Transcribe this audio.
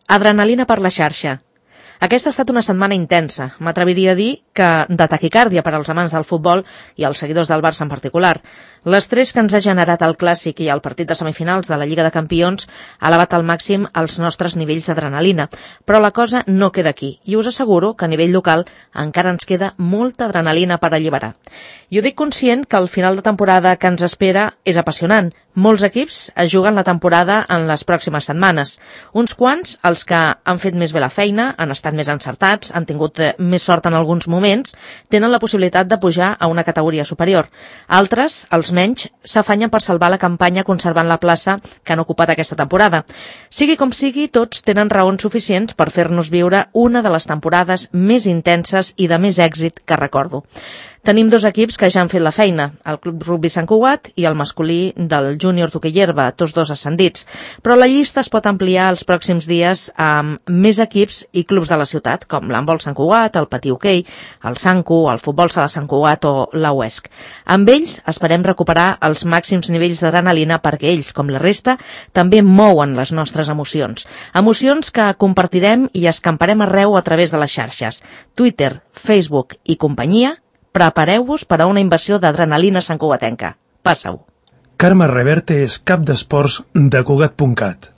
Adrenalina per la xarxa. Aquesta ha estat una setmana intensa, m'atreviria a dir que de taquicàrdia per als amants del futbol i als seguidors del Barça en particular. L'estrès que ens ha generat el Clàssic i el partit de semifinals de la Lliga de Campions ha elevat al màxim els nostres nivells d'adrenalina, però la cosa no queda aquí, i us asseguro que a nivell local encara ens queda molta adrenalina per alliberar. Jo dic conscient que el final de temporada que ens espera és apassionant. Molts equips es juguen la temporada en les pròximes setmanes. Uns quants, els que han fet més bé la feina, han estat més encertats, han tingut més sort en alguns moments, tenen la possibilitat de pujar a una categoria superior. Altres, els menys, s'afanyen per salvar la campanya conservant la plaça que han ocupat aquesta temporada. Sigui com sigui, tots tenen raons suficients per fer-nos viure una de les temporades més intenses i de més èxit que recordo. Tenim dos equips que ja han fet la feina, el Club Rugby Sant Cugat i el masculí del Júnior Toquillerba, tots dos ascendits, però la llista es pot ampliar els pròxims dies amb més equips i clubs de la ciutat, com l'handbol Sant Cugat, el patí hoquei, el Sancu, el futbol sala Sant Cugat o la UESC. Amb ells esperem recuperar els màxims nivells d'adrenalina perquè ells, com la resta, també mouen les nostres emocions. Emocions que compartirem i escamparem arreu a través de les xarxes. Twitter, Facebook i companyia. Prepareu-vos per a una invasió d'adrenalina santcugatenca. Passa-ho. Carme Reverte és cap d'esports de Cugat.cat.